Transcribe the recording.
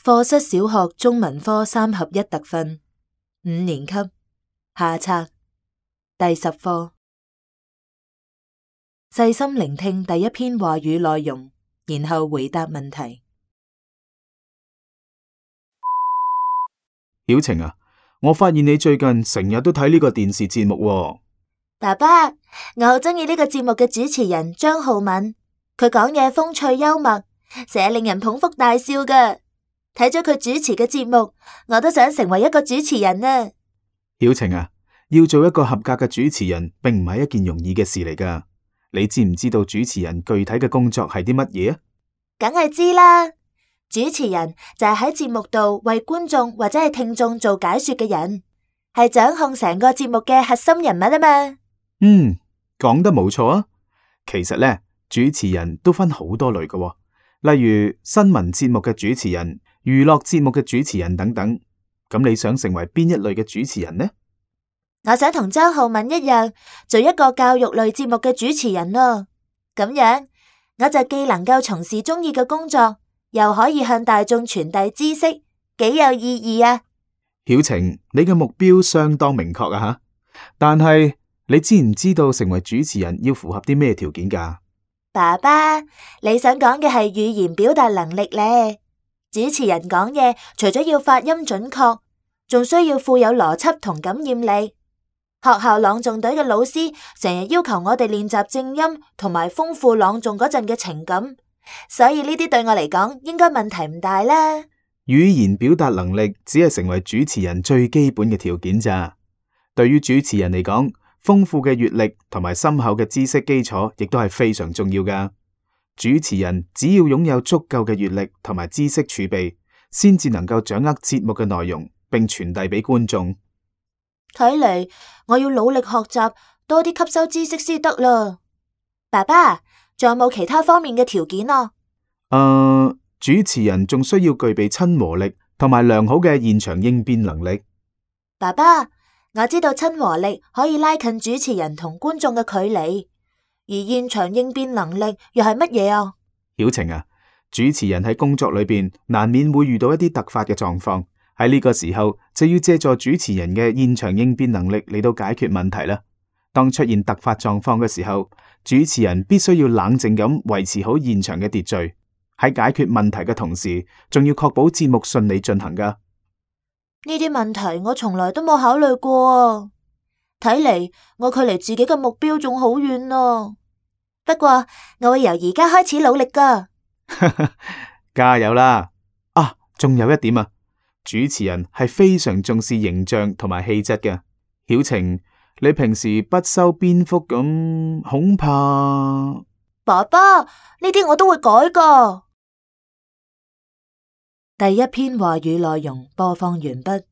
課室小學中文科3合1特訓5年級下冊第10課。細心聆聽第一篇話語內容，然後回答問題。曉晴啊，我發現你最近成日都睇呢個電視節目喎。爸爸，我好鍾意呢個節目嘅主持人張浩敏，佢講嘢風趣幽默，成日令人捧腹大笑㗎。睇咗佢主持嘅節目，我都想成為一個主持人啊！曉晴啊，要做一個合格嘅主持人，並唔係一件容易嘅事嚟㗎。你知唔知道主持人具體嘅工作係啲乜嘢啊？梗係知啦，主持人就係喺節目度為觀眾或者係聽眾做解說嘅人，係掌控成個節目嘅核心人物啊嘛。講得冇錯啊。其實呢，主持人都分好多類㗎喎，例如新聞節目嘅主持人、娛樂節目嘅主持人等等。咁你想成為邊一類嘅主持人呢？我想同張浩敏一樣，做一個教育類節目嘅主持人咯。咁樣我就既能夠從事中意嘅工作，又可以向大眾傳遞知識，幾有意義啊！曉晴，你嘅目標相當明確啊吓，但係你知唔知道成為主持人要符合啲咩條件㗎？爸爸，你想講嘅係語言表達能力呢？主持人講嘢，除咗要發音準確，仲需要富有邏輯同感染力。學校朗誦隊嘅老師成日要求我哋練習正音同埋豐富朗誦嗰陣嘅情感，所以呢啲對我嚟講應該問題唔大啦。語言表達能力只係成為主持人最基本嘅條件咋。對於主持人嚟講，豐富嘅閱歷同埋深厚嘅知識基礎亦都係非常重要㗎。主持人只要擁有足夠嘅閱歷同埋知識儲備，先至能夠掌握節目嘅內容，並傳遞俾觀眾。睇嚟我要努力學習，多啲吸收知識先得啦。爸爸，仲有冇其他方面嘅條件啊？主持人仲需要具備親和力同埋良好嘅現場應變能力。爸爸，我知道親和力可以拉近主持人同觀眾嘅距離，而現場應變能力又係乜嘢啊？曉晴啊，主持人喺工作裏邊難免會遇到一啲突發嘅狀況，喺呢個時候就要借助主持人嘅現場應變能力嚟到解決問題啦。當出現突發狀況嘅時候，主持人必須要冷靜咁維持好現場嘅秩序，喺解決問題嘅同時，仲要確保節目順利進行噶。呢啲問題我從來都冇考慮過，睇嚟我距離自己嘅目標仲好遠咯。不過我會由而家開始努力噶。加油啦！仲有一點啊，主持人係非常重視形象同埋氣質嘅。曉晴，你平時不修邊幅咁，恐怕……爸爸，呢啲我都會改噶。第一篇話語內容播放完畢。